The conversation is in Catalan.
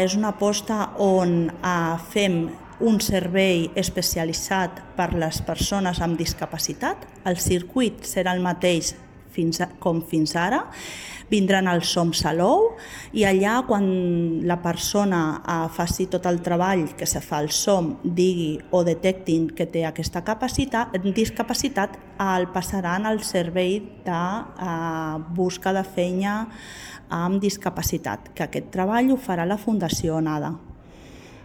És una aposta on fem un servei especialitzat per a les persones amb discapacitat. El circuit serà el mateix com fins ara. Vindran els SOM Salou i allà quan la persona faci tot el treball que se fa al SOM, digui o detectin que té aquesta discapacitat, el passaran al servei de busca de feina amb discapacitat, que aquest treball ho farà la Fundació ONADA.